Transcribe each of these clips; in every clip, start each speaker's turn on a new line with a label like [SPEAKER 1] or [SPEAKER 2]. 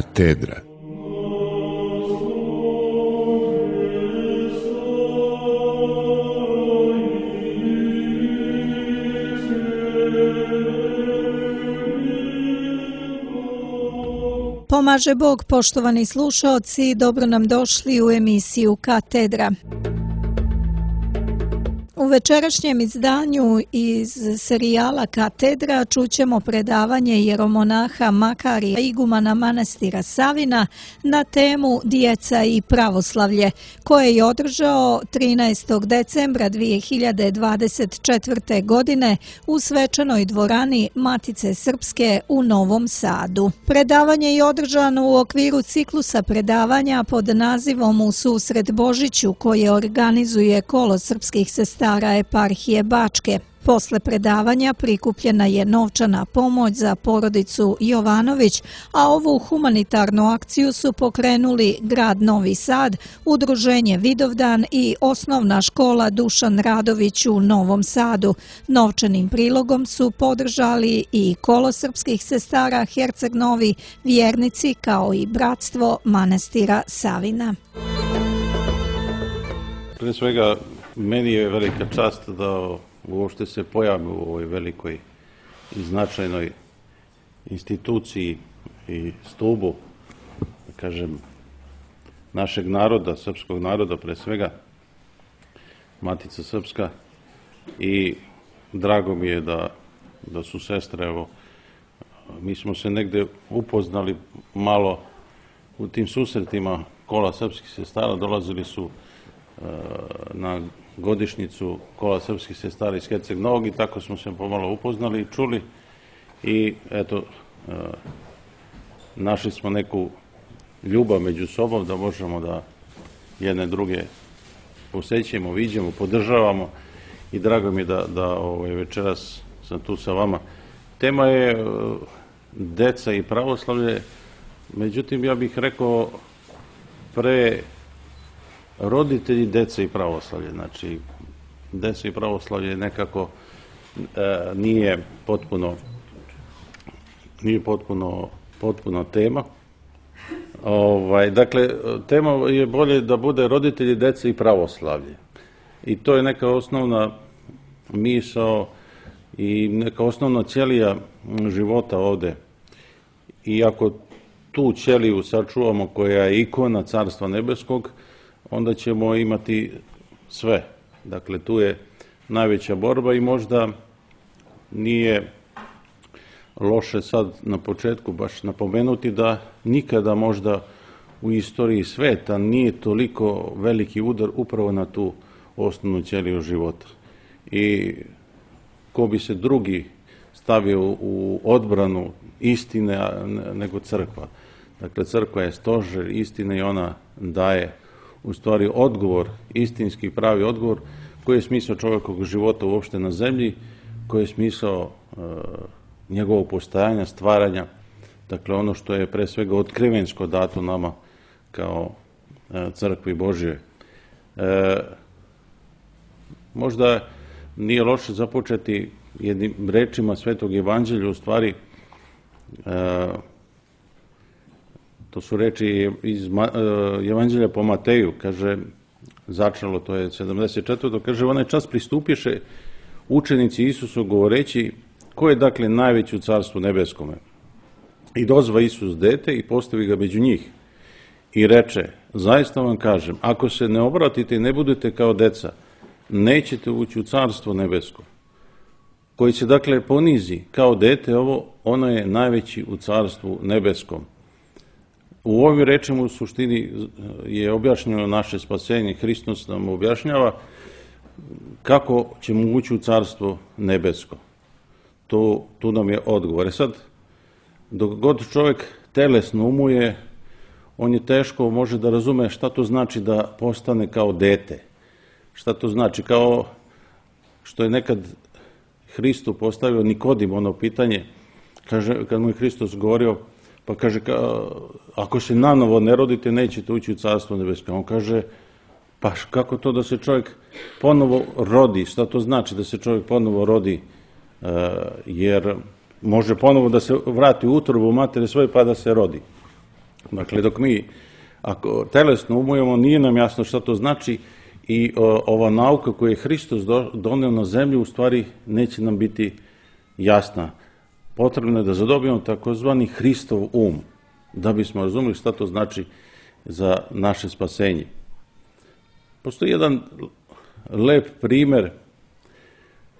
[SPEAKER 1] Katedra.
[SPEAKER 2] Pomaže Bog, poštovani slušaoci, dobro nam došli u emisiju Katedra. U večerašnjem izdanju iz serijala Katedra čućemo predavanje jeromonaha Makarija, igumana manastira Savina, na temu Djeca i pravoslavlje, koje je održao 13. decembra 2024. godine u svečanoj dvorani Matice Srpske u Novom Sadu. Predavanje je održano u okviru ciklusa predavanja pod nazivom U susret Božiću, koje organizuje Kolo srpskih sestara eparhije Bačke. Posle predavanja prikupljena je novčana pomoć za porodicu Jovanović, a ovu humanitarnu akciju su pokrenuli grad Novi Sad, udruženje Vidovdan i osnovna škola Dušan Radović u Novom Sadu. Novčanim prilogom su podržali i Kolo srpskih sestara Herceg Novi, vjernici kao i bratstvo manastira Savina.
[SPEAKER 3] Prije svega, meni je velika čast da uopšte se pojavim u ovoj velikoj i značajnoj instituciji i stubu, da kažem, našeg naroda, srpskog naroda pre svega, Matica Srpska, i drago mi je da su sestre, evo, mi smo se negde upoznali malo u tim susretima Kola srpskih sestara, dolazili su na godišnjicu Kola srpskih sestara iz Herceg Novog i tako smo se pomalo upoznali i čuli i eto, našli smo neku ljubav među sobom da možemo da jedne druge posećemo, viđemo, podržavamo i drago mi je da večeras sam tu sa vama. Tema je deca i pravoslavlje, međutim ja bih rekao pre roditelji, deca i pravoslavlje. Znači, deca i pravoslavlje nekako nije potpuno tema. Dakle, tema je bolje da bude roditelji, deca i pravoslavlje. I to je neka osnovna misao i neka osnovna ćelija života ovde. I ako tu ćeliju sačuvamo, koja je ikona Carstva nebeskog, onda ćemo imati sve. Dakle, tu je najveća borba i možda nije loše sad na početku baš napomenuti da nikada možda u istoriji sveta nije toliko veliki udar upravo na tu osnovnu ćeliju života. I ko bi se drugi stavio u odbranu istine nego crkva. Dakle, crkva je stožer istine i ona daje u stvari odgovor, istinski pravi odgovor, koji je smisao čovjekovog života uopšte na zemlji, koji je smisao njegovog postajanja, stvaranja, dakle ono što je pre svega otkrivensko dato nama kao crkvi Božje. Možda nije loše započeti jednim rečima Svetog Evanđelja, u stvari to su reči iz Evanđelja po Mateju, kaže, začelo, to je 74. Kaže, onaj čas pristupješe učenici Isusu govoreći, ko je dakle najveći u Carstvu nebeskome? I dozva Isus dete i postavi ga među njih. I reče, zaista vam kažem, ako se ne obratite i ne budete kao deca, nećete ući u Carstvo nebesko. Koji se dakle ponizi kao dete, ono je najveći u Carstvu nebeskom. U ovim rečima u suštini je objašnjeno naše spasenje. Hristos nam objašnjava kako ćemo ući u Carstvo nebesko. Tu nam je odgovor. Sad, dok god čovjek telesno umuje, on je teško može da razume šta to znači da postane kao dete. Šta to znači? Kao što je nekad Hristu postavio Nikodim ono pitanje, kaže, kad mu je Hristos govorio, pa kaže, ako se nanovo ne rodite, nećete ući u Carstvo nebesko. On kaže, pa kako to da se čovjek ponovo rodi? Šta to znači da se čovjek ponovo rodi? Jer može ponovo da se vrati u utrobu matere svoje pa da se rodi. Dakle, dok mi ako telesno umujemo, nije nam jasno šta to znači i ova nauka koju je Hristos doneo na zemlju u stvari neće nam biti jasna. Potrebno je da zadobijemo takozvani Hristov da bismo razumeli šta to znači za naše spasenje. Postoji jedan lep primer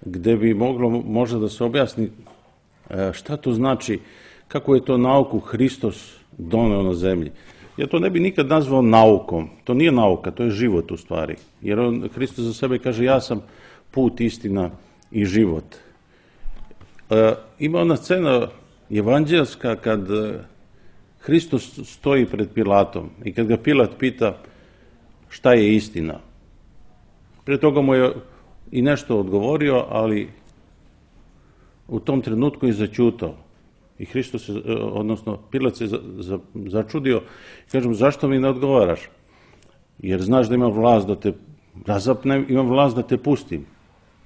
[SPEAKER 3] gde bi moglo možda da se objasni šta to znači, kako je to nauku Hristos doneo na zemlji. Ja to ne bi nikad nazvao naukom, to nije nauka, to je život u stvari. Jer Hristos za sebe kaže ja sam put, istina i život. Ima ona scena evanđelska kad Hristos stoji pred Pilatom i kad ga Pilat pita šta je istina. Prije toga mu je i nešto odgovorio, ali u tom trenutku je zaćutao. I Hristos, odnosno Pilat se začudio i kaže mu, zašto mi ne odgovaraš? Jer znaš da imam vlast da te razapnem, imam vlast da te pustim.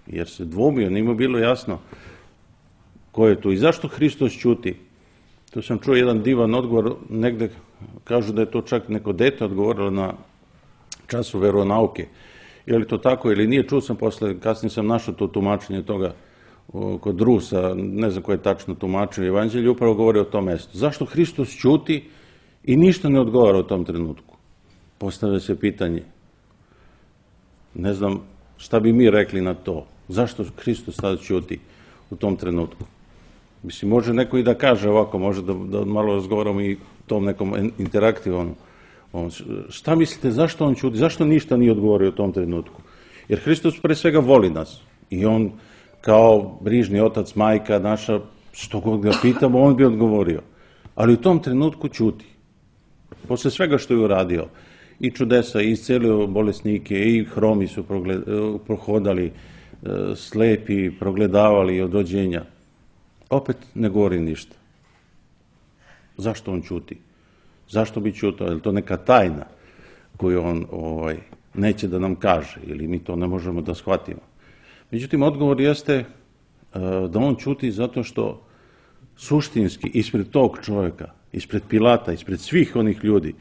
[SPEAKER 3] Jer se dvomio, nije mu bilo jasno ko je tu. I zašto Hristos ćuti? Tu sam čuo jedan divan odgovor, negde kažu da je to čak neko dete odgovorilo na času veronauke. Je li to tako ili nije, čuo sam posle, kasnije sam našao to tumačenje toga kod Rusa, ne znam ko je tačno tumačio evanđelje, upravo govori o tom mestu. Zašto Hristos ćuti i ništa ne odgovara u tom trenutku? Postavlja se pitanje. Ne znam šta bi mi rekli na to. Zašto Hristos tada ćuti u tom trenutku? Mislim, može neko i da kaže ovako, može da malo razgovaramo i tom nekom interaktivnom. Šta mislite, zašto on ćuti? Zašto ništa nije odgovorio u tom trenutku? Jer Hristos pre svega voli nas i on kao brižni otac, majka naša, što god ga pitamo, on bi odgovorio. Ali u tom trenutku ćuti. Posle svega što je uradio, i čudesa, i iscelio bolesnike, i hromi su prohodali, slepi, progledavali od rođenja. Opet ne govori ništa. Zašto on ćuti? Zašto bi ćutao? Je li to neka tajna koju on neće da nam kaže ili mi to ne možemo da shvatimo? Međutim, odgovor jeste da on ćuti zato što suštinski ispred tog čovjeka, ispred Pilata, ispred svih onih ljudi,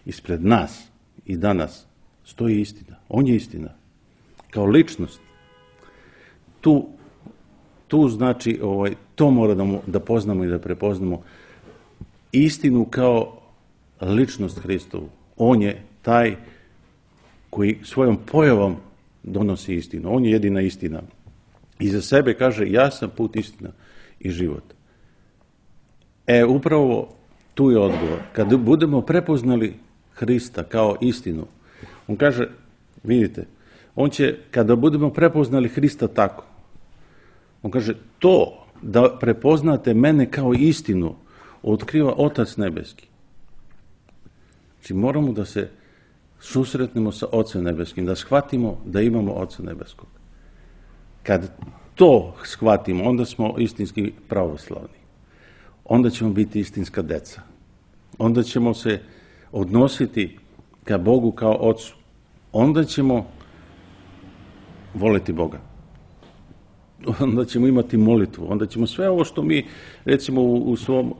[SPEAKER 3] ispred nas i danas stoji istina. On je istina. Kao ličnost. Tu znači, to mora da poznamo i da prepoznamo istinu kao ličnost Hristovu. On je taj koji svojom pojavom donosi istinu. On je jedina istina. I za sebe kaže, ja sam put, istina i život. Upravo tu je odgovor. Kad budemo prepoznali Hrista kao istinu, on kaže, vidite, on će, kada budemo prepoznali Hrista tako, on kaže, to da prepoznate mene kao istinu, otkriva Otac nebeski. Znači, moramo da se susretnemo sa Ocem nebeskim, da shvatimo da imamo Oca nebeskog. Kad to shvatimo, onda smo istinski pravoslavni. Onda ćemo biti istinska deca. Onda ćemo se odnositi ka Bogu kao Ocu. Onda ćemo voleti Boga. Onda ćemo imati molitvu. Onda ćemo sve ovo što mi, recimo,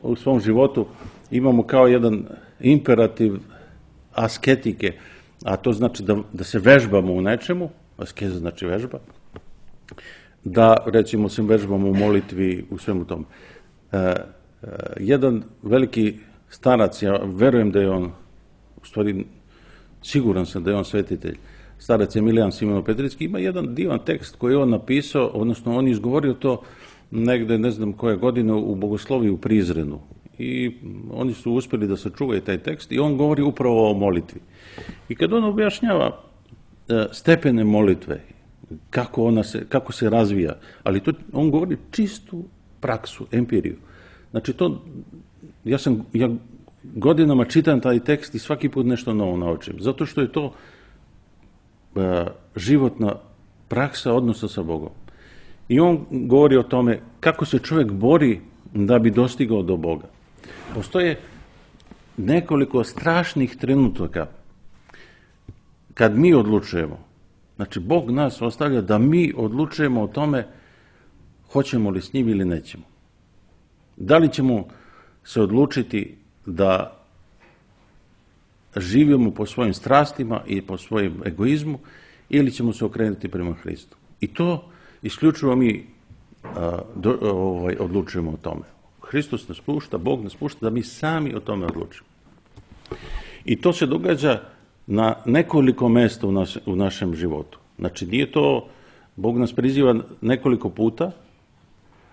[SPEAKER 3] u svom životu imamo kao jedan imperativ asketike, a to znači da se vežbamo u nečemu, askeza znači vežba, da, recimo, se vežbamo u molitvi, u svemu tom. Jedan veliki starac, ja verujem da je on, u stvari, siguran sam da je on svetitelj, starac Emilijan Simono-Petrinski, ima jedan divan tekst koji je on napisao, odnosno on je izgovorio to negde, ne znam koje godine, u Bogosloviji u Prizrenu. I oni su uspjeli da sačuvaju taj tekst i on govori upravo o molitvi. I kad on objašnjava stepene molitve, kako se razvija, ali to on govori čistu praksu, empiriju. Znači ja godinama čitam taj tekst i svaki put nešto novo naučim, zato što je to životna praksa odnosa sa Bogom. I on govori o tome kako se čovjek bori da bi dostigao do Boga. Postoje nekoliko strašnih trenutaka kad mi odlučujemo. Znači, Bog nas ostavlja da mi odlučujemo o tome hoćemo li s njim ili nećemo. Da li ćemo se odlučiti da živimo po svojim strastima i po svojim egoizmu ili ćemo se okrenuti prema Hristu. I to isključivo mi odlučujemo o tome. Hristos nas pušta, Bog nas pušta da mi sami o tome odlučimo. I to se događa na nekoliko mesta u našem životu. Znači, nije to, Bog nas priziva nekoliko puta,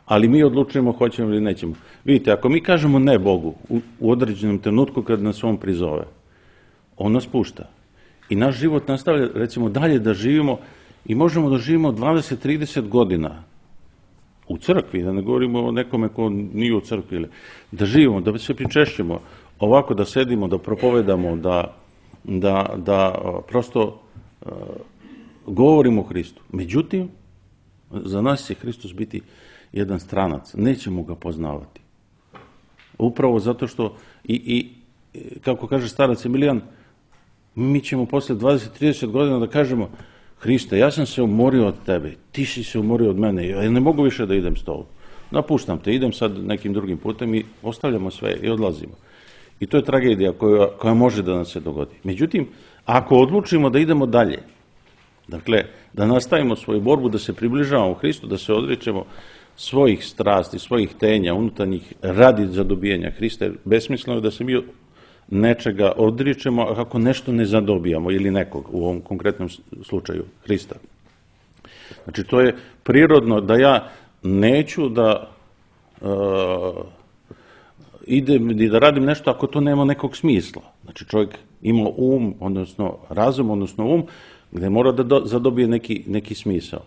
[SPEAKER 3] ali mi odlučujemo hoćemo ili nećemo. Vidite, ako mi kažemo ne Bogu u određenom trenutku kad nas On prizove, On nas pušta. I naš život nastavlja, recimo, dalje da živimo i možemo da živimo 20-30 godina u crkvi, da ne govorimo o nekome ko nije u crkvi, da živimo, da se pričešćemo, ovako da sedimo, da propovedamo, da prosto govorimo o Hristu. Međutim, za nas će Hristos biti jedan stranac, nećemo ga poznavati. Upravo zato što, kako kaže starac Emilijan, mi ćemo posle 20-30 godina da kažemo: Hriste, ja sam se umorio od tebe, ti si se umorio od mene, ja ne mogu više da idem s tobom. Napuštam te, idem sad nekim drugim putem i ostavljamo sve i odlazimo. I to je tragedija koja može da nam se dogodi. Međutim, ako odlučimo da idemo dalje, dakle, da nastavimo svoju borbu, da se približavamo Hristu, da se odričemo svojih strasti, svojih tenja, unutarnjih, radi za dobijanja Hrista, besmisleno je da se mi nečega odričemo ako nešto ne zadobijamo ili nekog, u ovom konkretnom slučaju Hrista. Znači, to je prirodno da ja neću da idem i da radim nešto ako to nema nekog smisla. Znači, čovjek ima odnosno razum, odnosno gde mora da zadobije neki smisao.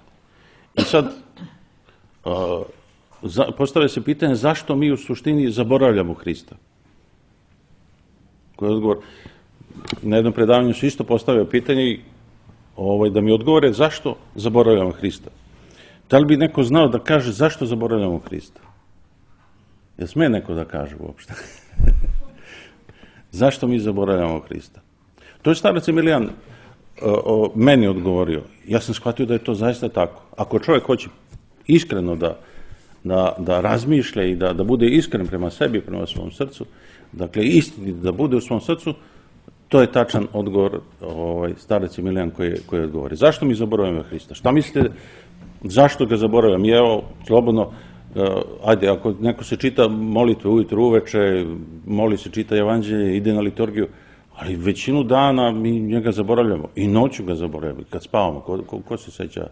[SPEAKER 3] I sad, postavlja se pitanje zašto mi u suštini zaboravljamo Hrista. Koji je odgovor? Na jednom predavanju su isto postavio pitanje da mi odgovore zašto zaboravljamo Hrista. Da li bi neko znao da kaže zašto zaboravljamo Hrista? Jel sme neko da kaže uopšte? Zašto mi zaboravljamo Hrista? To je starac Emilijan meni odgovorio. Ja sam shvatio da je to zaista tako. Ako čovjek hoće iskreno da razmišlja i da bude iskren prema sebi, prema svom srcu, dakle istinit da bude u svom srcu, to je tačan odgovor starac Emilijan koji odgovori. Zašto mi zaboravljamo Hrista? Šta mislite, zašto ga zaboravljam? Evo, slobodno, ajde, ako neko se čita molitve ujutru, uveče, moli se, čita evanđelje, ide na liturgiju, ali većinu dana mi njega zaboravljamo. I noću ga zaboravljamo, kad spavamo. Ko se seća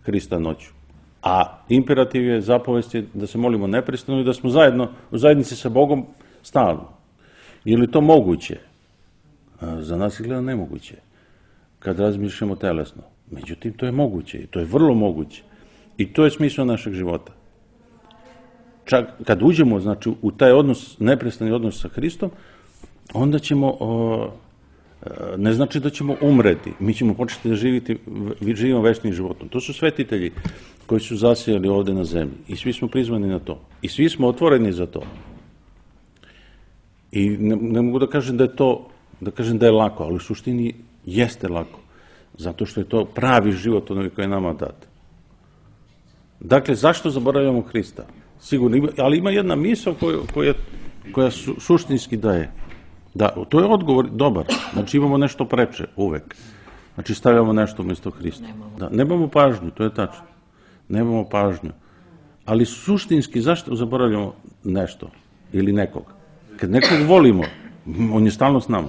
[SPEAKER 3] Hrista noću? A imperativ je, zapovest je da se molimo neprestano i da smo zajedno u zajednici sa Bogom stalno. Je li to moguće? Za nas je gledano nemoguće, kad razmišljamo telesno. Međutim, to je moguće i to je vrlo moguće. I to je smisao našeg života. Čak kad uđemo, znači, u taj odnos, neprestani odnos sa Hristom, onda ćemo, ne znači da ćemo umreti, mi ćemo početi da živimo večnim životom. To su svetitelji koji su zasijali ovde na zemlji i svi smo prizvani na to. I svi smo otvoreni za to. I ne mogu da kažem da je lako, ali u suštini jeste lako, zato što je to pravi život onaj koji je nama dat. Dakle, zašto zaboravljamo Hrista? Sigurno, ali ima jedna misao koja suštinski daje. Da, to je odgovor dobar. Znači, imamo nešto preče uvek. Znači, stavljamo nešto umjesto Hrista. Nemamo pažnju, to je tačno. Nemamo pažnju. Ali suštinski, zašto zaboravljamo nešto ili nekog? Kad nekog volimo, on je stalno s nama.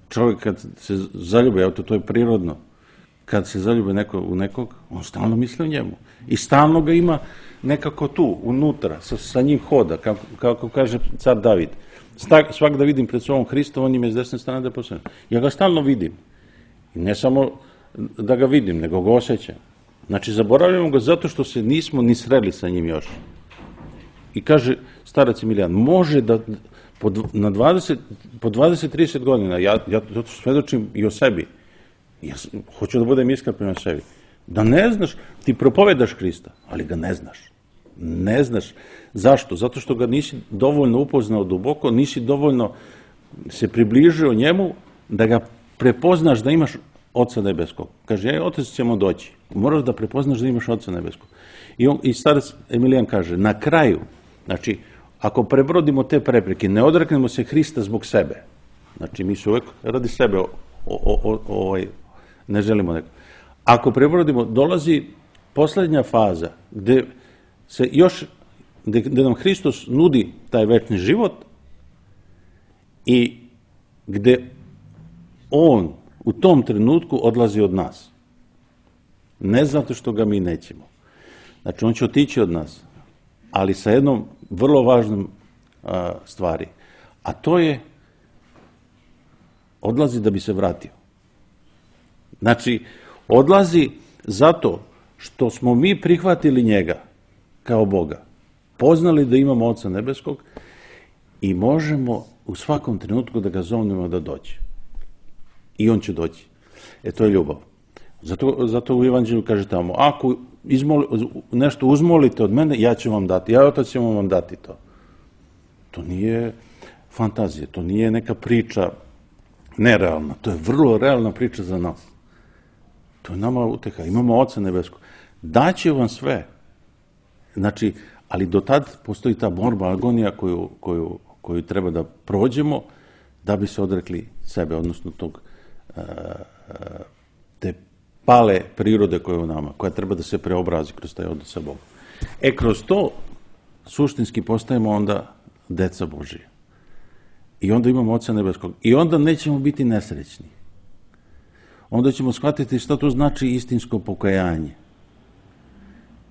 [SPEAKER 3] Čovjek kad se zaljubi, to je prirodno, kad se zaljube u nekog, on stalno misli o njemu. I stalno ga ima nekako tu, unutra, sa njim hoda, kako kaže car David. Svak da vidim pred sobom Hrista, on im je s desne strane da je posebno. Ja ga stalno vidim. I ne samo da ga vidim, nego ga osjećam. Znači, zaboravljamo ga zato što se nismo ni sreli sa njim još. I kaže starac Emilijan, može da po 20-30 godina, ja to svedočim i o sebi, ja hoću da budem iskren prema sebi, da ne znaš, ti propovedaš Hrista, ali ga ne znaš. Ne znaš. Zašto? Zato što ga nisi dovoljno upoznao duboko, nisi dovoljno se približio njemu da ga prepoznaš da imaš Oca nebeskog. Kaže, Otac ćemo doći. Moraš da prepoznaš da imaš Oca nebeskog. I starac Emilijan kaže, na kraju, znači, ako prebrodimo te prepreke, ne odreknemo se Hrista zbog sebe, Znači, mi se uvek radi sebe ne želimo neko. Ako prebrodimo, dolazi poslednja faza gde nam Hristos nudi taj večni život i gde on u tom trenutku odlazi od nas. Ne zato što ga mi nećemo. Znači, on će otići od nas, ali sa jednom vrlo važnom stvari. A to je, odlazi da bi se vratio. Znači, odlazi zato što smo mi prihvatili njega kao Boga, poznali da imamo Oca Nebeskog i možemo u svakom trenutku da ga zovnemo da dođe. I on će doći. To je ljubav. Zato u Evanđelju kaže tamo, ako nešto uzmolite od mene, ja ću vam dati, ja Otac ćemo vam dati to. To nije fantazija, to nije neka priča nerealna, to je vrlo realna priča za nas. To je nama uteha, imamo Oca Nebeskog. Daće vam sve. Znači, ali do tad postoji ta borba, agonija koju treba da prođemo da bi se odrekli sebe, odnosno te pale prirode koja je u nama, koja treba da se preobrazi kroz taj odnos sa Bogom. Kroz to suštinski postajemo onda deca Božije. I onda imamo Oca Nebeskog. I onda nećemo biti nesrećni. Onda ćemo shvatiti šta to znači istinsko pokajanje.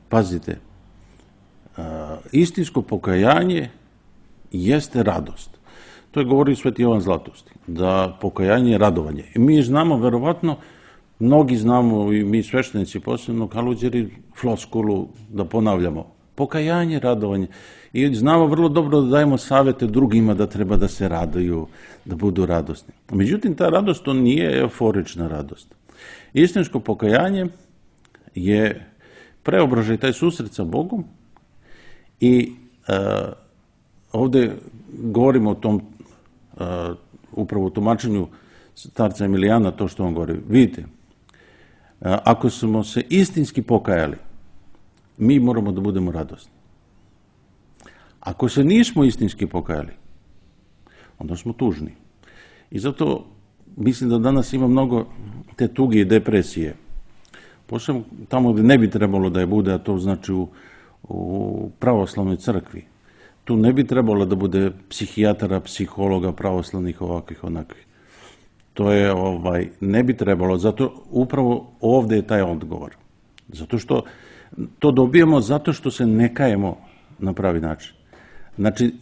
[SPEAKER 3] Pazite, istinsko pokajanje jeste radost. To je govorio Sveti Jovan Zlatoust, da pokajanje je radovanje. I mi znamo, verovatno, mnogi znamo, i mi sveštenici, posebno Kaluđeri, floskulu da ponavljamo. Pokajanje, radovanje. I znamo vrlo dobro da dajemo savete drugima da treba da se raduju, da budu radosni. Međutim, ta radost, to nije euforična radost. Istinsko pokajanje je preobražaj, taj susret sa Bogom i ovde govorimo o tom upravo u tumačenju starca Emilijana, to što on govori. Vidite, ako smo se istinski pokajali, mi moramo da budemo radosni. Ako se nismo istinski pokajali, onda smo tužni. I zato mislim da danas ima mnogo te tuge i depresije. Posebno tamo gde ne bi trebalo da je bude, a to znači u pravoslavnoj crkvi. Tu ne bi trebalo da bude psihijatara, psihologa, pravoslavnih, ovakvih, onakvih. To je, ne bi trebalo, zato upravo ovde je taj odgovor. Zato što to dobijemo zato što se ne kajemo na pravi način. Znači,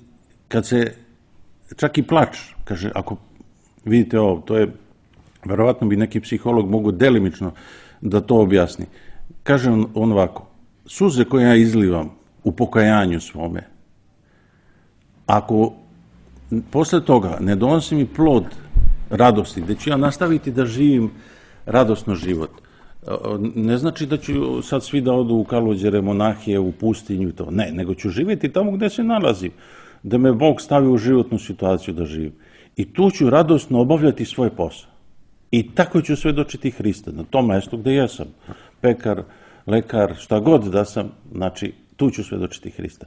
[SPEAKER 3] kad se, čak i plač, kaže, ako vidite ovo, to je, verovatno bi neki psiholog mogu delimično da to objasni. Kaže on ovako, suze koje ja izlivam u pokajanju svome, ako posle toga ne donosi mi plod radosti, gde ću ja nastaviti da živim radosno život, ne znači da ću sad svi da odu u Kaluđere, monahije, u pustinju i to. Ne, nego ću živjeti tamo gde se nalazim, da me Bog stavi u životnu situaciju da živim. I tu ću radosno obavljati svoj posao. I tako ću svedočiti Hrista na tom mestu gde jesam. Pekar, lekar, šta god da sam, znači tu ću svedočiti Hrista.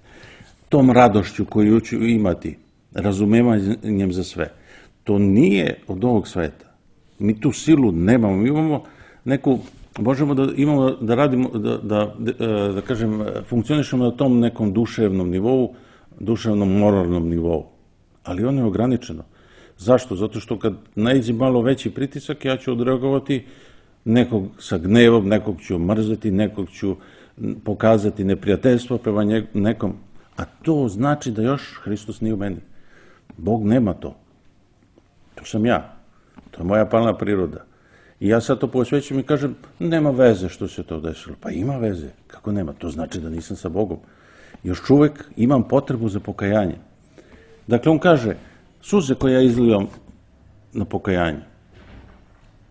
[SPEAKER 3] Tom radošću koju ću imati, razumevanjem za sve, to nije od ovog sveta. Mi tu silu nemamo, mi imamo neku, možemo da imamo, da radimo, da kažem, funkcionišemo na tom nekom duševnom nivou, duševnom moralnom nivou. Ali ono je ograničeno. Zašto? Zato što kad naiđe malo veći pritisak, ja ću odreagovati nekog sa gnevom, nekog ću mrzeti, nekog ću pokazati neprijateljstvo prema nekom. A to znači da još Hristos nije u meni. Bog nema to. To sam ja. To je moja palna priroda. I ja sad to posvećujem i kažem, nema veze što se to desilo. Pa ima veze. Kako nema? To znači da nisam sa Bogom. Još uvek imam potrebu za pokajanje. Dakle, on kaže, suze koje ja izlivam na pokajanje,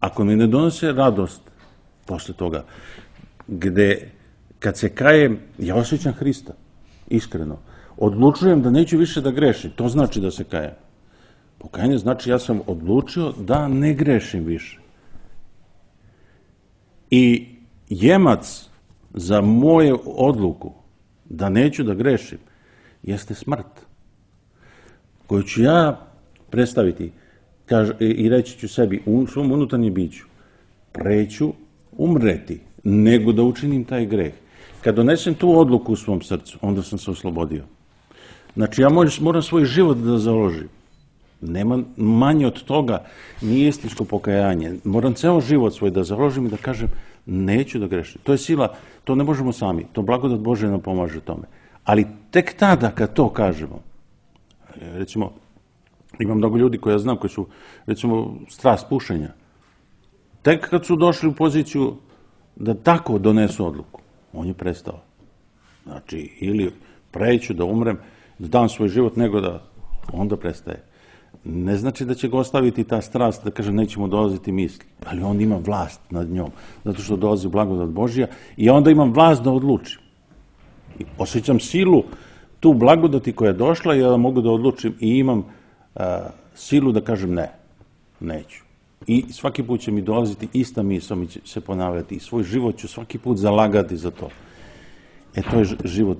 [SPEAKER 3] ako mi ne donose radost posle toga, gde kad se kajem, ja osjećam Hrista, iskreno. Odlučujem da neću više da grešim, to znači da se kajem. Pokajanje znači ja sam odlučio da ne grešim više. I jemac za moju odluku da neću da grešim jeste smrt, koju ću ja predstaviti i reći ću sebi u svom unutarnjem biću, preću umreti nego da učinim taj greh. Kad donesem tu odluku u svom srcu, onda sam se oslobodio. Znači, ja moram svoj život da založim. Nema manje od toga, nije istinsko pokajanje. Moram ceo život svoj da založim i da kažem, neću da grešim. To je sila, to ne možemo sami. To blagodat Božja nam pomaže tome. Ali tek tada kad to kažemo, recimo, ima mnogo ljudi koje ja znam, koji su, recimo, strast pušenja. Tek kad su došli u poziciju da tako donesu odluku, on je prestao. Znači, ili preću da umrem, da dam svoj život, nego da onda prestaje. Ne znači da će ga ostaviti ta strast, da kaže nećemo dolaziti misli, ali on ima vlast nad njom, zato što dolazi blagodat Božja i onda imam vlast da odlučim. I osjećam silu, tu blagodati koja je došla i ja mogu da odlučim i imam silu da kažem ne, neću. I svaki put će mi dolaziti ista misao, mi će se ponavljati i svoj život ću svaki put zalagati za to. To je život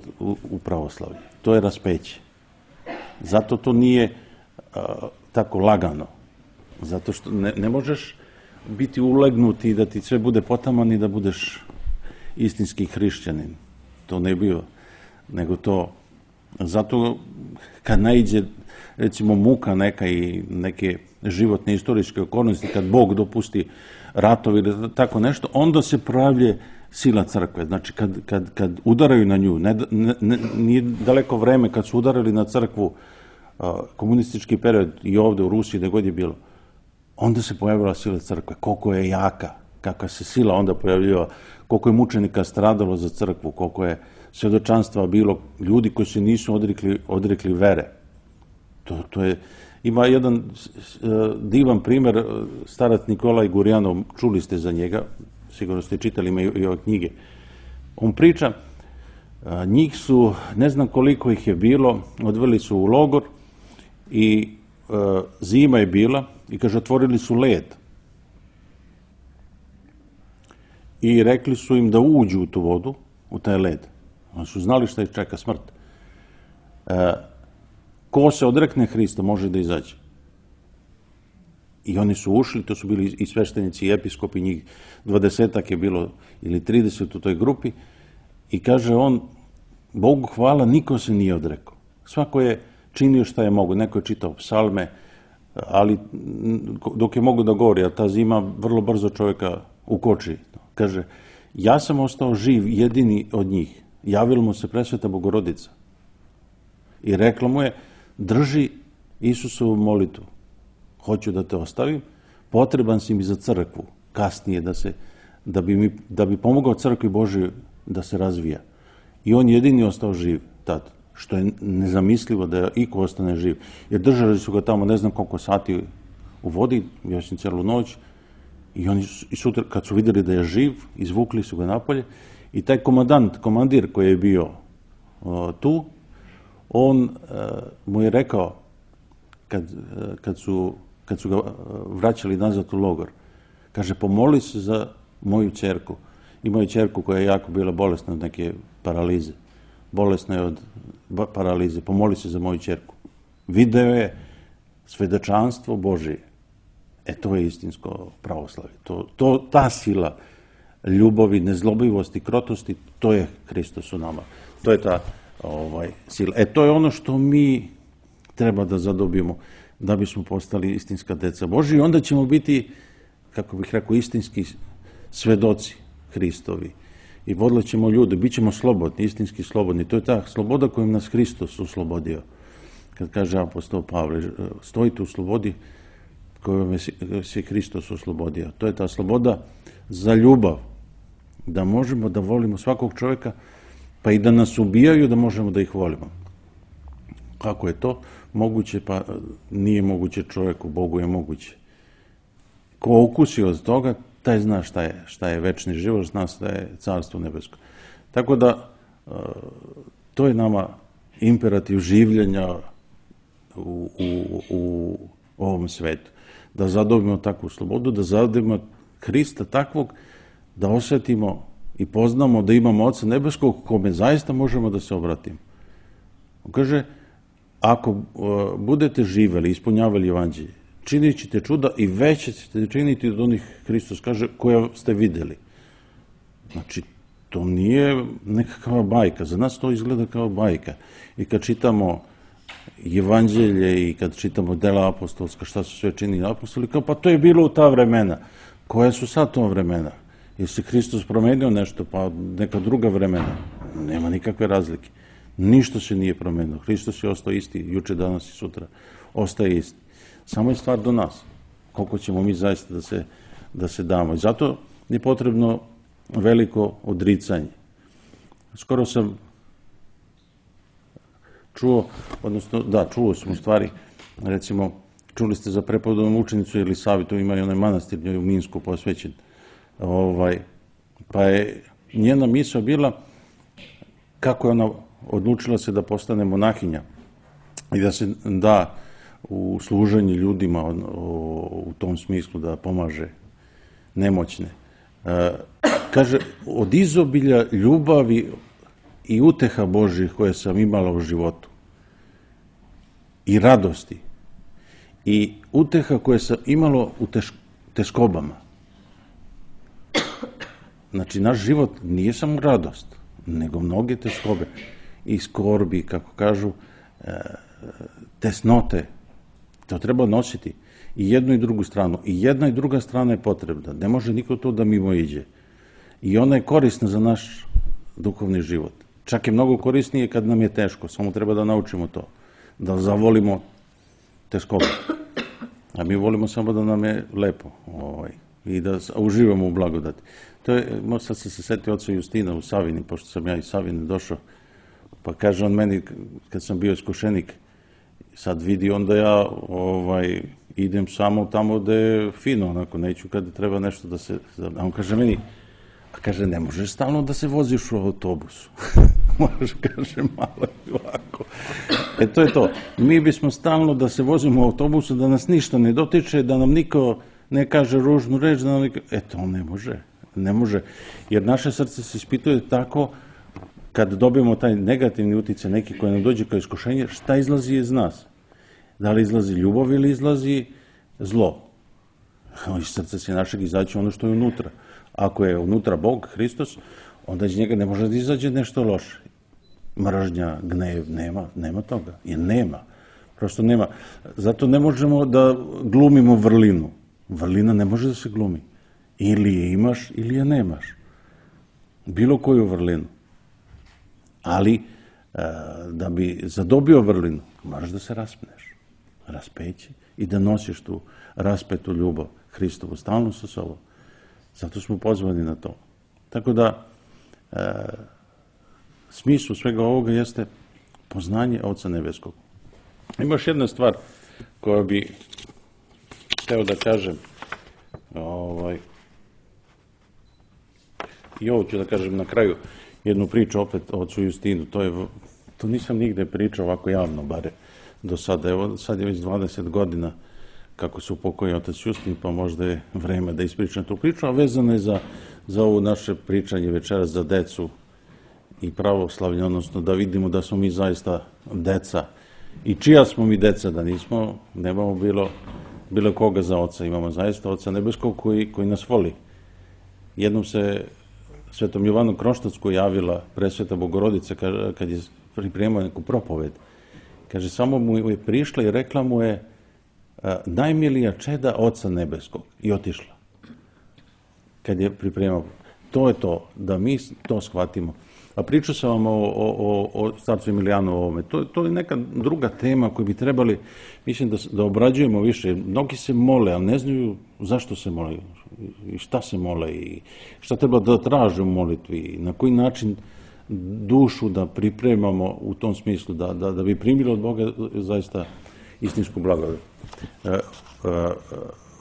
[SPEAKER 3] u pravoslavlju, to je raspeće. Zato to nije tako lagano, zato što ne možeš biti ulegnuti i da ti sve bude potaman i da budeš istinski hrišćanin. To ne bio, nego to, zato kad naiđe recimo muka neka i neke životne istorijske okolnosti, kad Bog dopusti ratovi ili tako nešto, onda se pojavljuje sila crkve. Znači kad udaraju na nju, nije daleko vreme kad su udarali na crkvu, komunistički period i ovde u Rusiji, gde god je bilo, onda se pojavila sila crkve, koliko je jaka, kakva se sila onda pojavljiva, koliko je mučenika stradalo za crkvu, koliko je svedočanstva bilo, ljudi koji se nisu odrekli vere. To je, ima jedan divan primer, starac Nikolaj Gurjanov, čuli ste za njega, sigurno ste čitali, ima i ove knjige. On priča, njih su, ne znam koliko ih je bilo, odveli su u logor i zima je bila i kaže, otvorili su led. I rekli su im da uđu u tu vodu, u taj led. Oni su znali šta ih čeka, smrt. Ko se odrekne Hrista može da izađe. I oni su ušli, to su bili i sveštenici i episkopi, njih 20-ak je bilo ili 30 u toj grupi. I kaže on, Bogu hvala, niko se nije odrekao. Svako je činio šta je mogo. Neko je čitao psalme, ali dok je mogo da govori, a ta zima vrlo brzo čovjeka ukoči. Kaže, ja sam ostao živ, jedini od njih. Javila mu se presveta Bogorodica. I rekla mu je, drži Isusovu molitvu. Hoću da te ostavim, potreban si mi za crkvu, kasnije, da bi pomogao crkvi Božoj da se razvija. I on jedini ostao živ tad, što je nezamislivo da iko ostane živ. Jer držali su ga tamo ne znam koliko sati u vodi, još i celu noć, i oni sutra, kad su vidjeli da je živ, izvukli su ga napolje i taj komandir koji je bio tu, on mu je rekao, kad su ga vraćali nazad u logor, kaže, pomoli se za moju ćerku. Imao je ćerku koja je jako bila bolesna od neke paralize. Bolesna je od paralize. Pomoli se za moju ćerku. Video je svedočanstvo Božije. To je istinsko pravoslavlje. Ta sila ljubavi, nezlobivosti, krotosti, to je Hristos u nama. To je ta sila. To je ono što mi treba da zadobijemo da bismo postali istinska deca Božja i onda ćemo biti, kako bih rekao, istinski svedoci Hristovi. I vodit ćemo ljude, bit ćemo slobodni, istinski slobodni. To je ta sloboda kojom nas Hristos oslobodio. Kad kaže apostol Pavle, stojite u slobodi kojom se Hristos oslobodio. To je ta sloboda za ljubav. Da možemo da volimo svakog čovjeka, pa i da nas ubijaju, da možemo da ih volimo. Kako je to moguće? Pa nije moguće čovjeku, Bogu je moguće. Ko ukusi od toga, taj zna šta je večni život, zna šta je carstvo nebesko. Tako da, to je nama imperativ življenja u ovom svetu. Da zadobimo takvu slobodu, da zadobimo Hrista takvog, da osjetimo i poznamo da imamo Oca nebeskog kome zaista možemo da se obratimo. On kaže, ako budete živeli, ispunjavali evanđelje, činit ćete čuda i veće ćete činiti od onih, Hristos kaže, koja ste videli. Znači, to nije nekakva bajka, za nas to izgleda kao bajka. I kad čitamo Evanđelje i kad čitamo dela apostolska, šta su sve činili apostoli, kao pa to je bilo u ta vremena. Koja su sad to vremena? Jer se Hristos promenio nešto, pa neka druga vremena? Nema nikakve razlike. Ništa se nije promenio. Hristos je ostao isti, juče, danas i sutra. Ostaje isti. Samo je stvar do nas. Koliko ćemo mi zaista da se damo. I zato je potrebno veliko odricanje. Skoro sam čuo, odnosno, da, čuo sam u stvari, recimo, čuli ste za prepodobnu učenicu Elisavetu, ima i onaj manastir njoj u Minsku posvećen. Pa je njena misao bila kako je ona odlučila se da postane monahinja i da se da u služenje ljudima u tom smislu da pomaže nemoćne. Kaže, od izobilja ljubavi i uteha Božih koje sam imala u životu i radosti i uteha koje sam imalo u teskobama. Znači, naš život nije samo radost, nego mnoge teskobe i skorbi, kako kažu, tesnote. To treba nositi i jednu i drugu stranu. I jedna i druga strana je potrebna. Ne može niko to da mimo iđe. I ona je korisna za naš duhovni život. Čak je mnogo korisnije kad nam je teško. Samo treba da naučimo to. Da zavolimo teskobe. A mi volimo samo da nam je lepo. I da uživamo u blagodati. To je, sad sam se setio oca Justina u Savini, pošto sam ja iz Savine došao, pa kaže on meni, kad sam bio iskušenik, sad vidi onda ja idem samo tamo gde je fino, onako, neću kada treba nešto da se... A on kaže meni, kaže, ne možeš stalno da se voziš u autobusu. Možeš, kaže, malo i ovako. To je to. Mi bismo stalno da se vozimo u autobusu, da nas ništa ne dotiče, da nam niko ne kaže ružnu reč, da nam niko... To ne može. Ne može. Jer naše srce se ispituje tako, kad dobijemo taj negativni uticaj, neki koji nam dođe kao iskušenje, šta izlazi iz nas? Da li izlazi ljubav ili izlazi zlo? Iz srca se našeg izaći ono što je unutra. Ako je unutra Bog, Hristos, onda iz njega ne može da izađe nešto loše. Mržnja, gnev, nema toga. Jer nema. Prosto nema. Zato ne možemo da glumimo vrlinu. Vrlina ne može da se glumi. Ili je imaš, ili je nemaš. Bilo koju vrlinu. Ali, da bi zadobio vrlinu, moraš da se raspneš. Raspeći i da nosiš tu raspetu ljubav Hristovu stalno sa sobom. Zato smo pozvani na to. Tako da, smislu svega ovoga jeste poznanje Oca Nebeskog. Ima još jedna stvar koja bi hteo da kažem, i ovo ću da kažem na kraju, jednu priču opet o ocu Justinu. To nisam nigde pričao ovako javno, bare do sada. Evo, sad je već 20 godina kako se upokojio otac Justin, pa možda je vreme da ispričam tu priču, a vezano je za ovo naše pričanje večeras za decu i pravoslavlje, odnosno da vidimo da smo mi zaista deca. I čija smo mi deca, da nemamo bilo koga za oca. Imamo zaista Oca Nebeskog koji nas voli. Jednom se Svetom Jovanu Kroštatsku javila presveta Bogorodica kad je pripremao neku propoved. Kaže, samo mu je prišla i rekla mu je najmilija čeda Oca Nebeskog. I otišla. Kad je pripremao. To je to, da mi to shvatimo. A pričao sam vam o starcu Emilijanu ovome. To je neka druga tema koju bi trebali, mislim, da obrađujemo više. Mnogi se mole, ali ne znaju zašto se mole i šta se mole i šta treba da traže u molitvi i na koji način dušu da pripremamo u tom smislu, da bi primili od Boga zaista istinsku blagodat.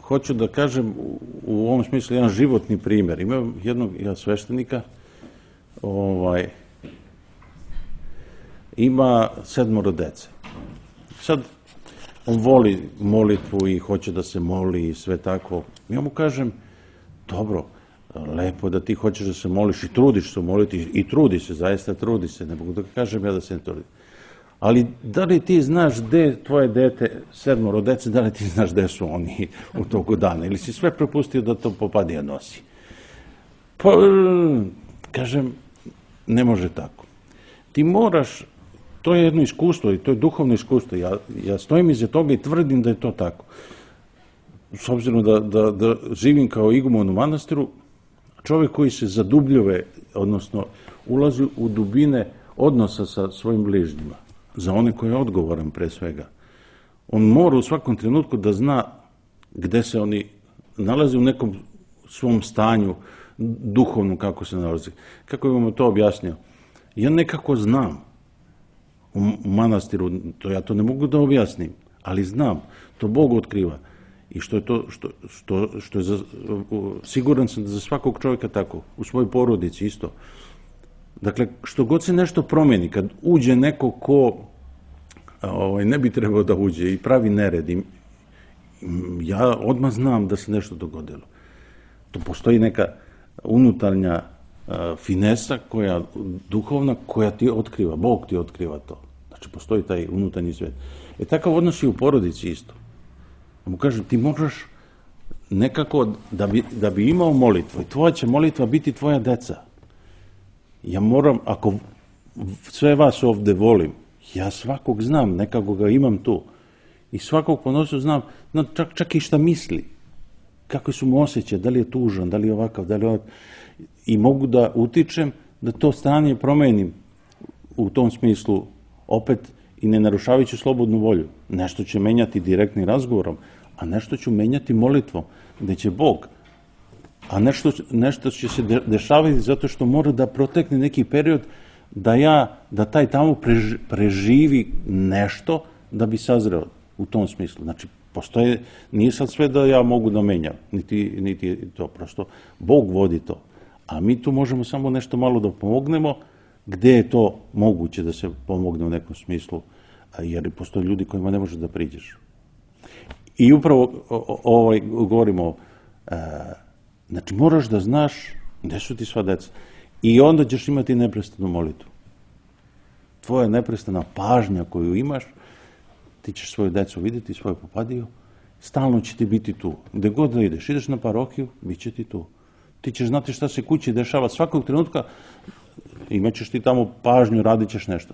[SPEAKER 3] Hoću da kažem u ovom smislu jedan životni primjer. Imam jednog sveštenika, ima 7 dece. Sad, on voli molitvu i hoće da se moli i sve tako. Ja mu kažem, dobro, lepo da ti hoćeš da se moliš i trudiš se moliti i trudi se, zaista trudi se, ne mogu da kažem ja da se ne trudi. Ali da li ti znaš gde tvoje dete, 7 dece, da li ti znaš gde su oni u toku dana? Ili si sve prepustio da to popadija nosi? Pa, kažem, ne može tako. Ti moraš, to je jedno iskustvo i to je duhovno iskustvo. Ja stojim iza toga i tvrdim da je to tako. S obzirom da živim kao iguman u manastiru, čovjek koji se zadubljuje, odnosno ulazi u dubine odnosa sa svojim bližnjima, za one koje je odgovoran pre svega. On mora u svakom trenutku da zna gde se oni nalaze u nekom svom stanju duhovnom, kako se nalazi. Kako bih vam to objasnio? Ja nekako znam u manastiru, ja to ne mogu da objasnim, ali znam, to Bog otkriva. I što je to, što je siguran sam da za svakog čovjeka tako, u svojoj porodici isto. Dakle, što god se nešto promeni, kad uđe neko ko ne bi trebao da uđe i pravi nered, ja odmah znam da se nešto dogodilo. To postoji neka unutarnja finesa koja duhovna, koja ti otkriva, Bog ti otkriva to. Znači, postoji taj unutarnji svet. Takav odnos i u porodici isto. Mu kažem, ti možeš nekako, da bi imao molitvu, i tvoja će molitva biti tvoja deca. Ja moram, ako sve vas ovde volim, ja svakog znam, nekako ga imam tu. I svakog ponosu znam, čak i šta misli. Kako su mu osjećaje, da li je tužan, da li je ovakav, da li je ovakav. I mogu da utičem da to stanje promenim u tom smislu opet i ne narušavajući slobodnu volju. Nešto će menjati direktnim razgovorom, a nešto ću menjati molitvom, gde će Bog. A nešto će se dešavati zato što mora da protekne neki period da taj tamo preživi nešto da bi sazreo u tom smislu. Znači, postoje, nije sad sve da ja mogu da menjam, niti to, prosto Bog vodi to. A mi tu možemo samo nešto malo da pomognemo, gde je to moguće da se pomogne u nekom smislu, jer postoje ljudi kojima ne možeš da priđeš. I upravo govorimo, znači moraš da znaš gde su ti sva deca i onda ćeš imati neprestanu molitvu. Tvoja neprestana pažnja koju imaš, ti ćeš svoju decu vidjeti, svoju popadiju, stalno će ti biti tu. Gde god da ideš na parohiju, bit će ti tu. Ti ćeš znati šta se kući dešava svakog trenutka, imaćeš ti tamo pažnju, radit ćeš nešto.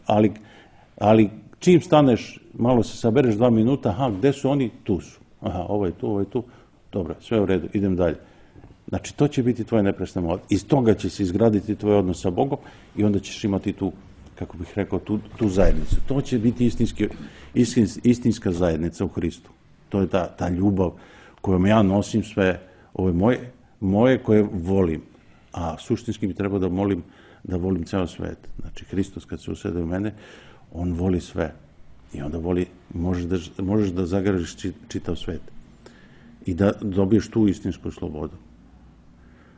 [SPEAKER 3] Ali čim staneš, malo se sabereš 2 minuta, aha, gde su oni? Tu su. Aha, ovo je tu. Dobro, sve u redu, idem dalje. Znači, to će biti tvoje neprestano molitva. Iz toga će se izgraditi tvoj odnos sa Bogom i onda ćeš imati tu, kako bih rekao, tu zajednicu. To će biti istinska zajednica u Hristu. To je ta ljubav kojom ja nosim sve ove moje koje volim. A suštinski mi treba da volim ceo svet. Znači, Hristos kad se usede u mene, on voli sve. I onda možeš da zagradiš čitav svet. I da dobiješ tu istinsku slobodu.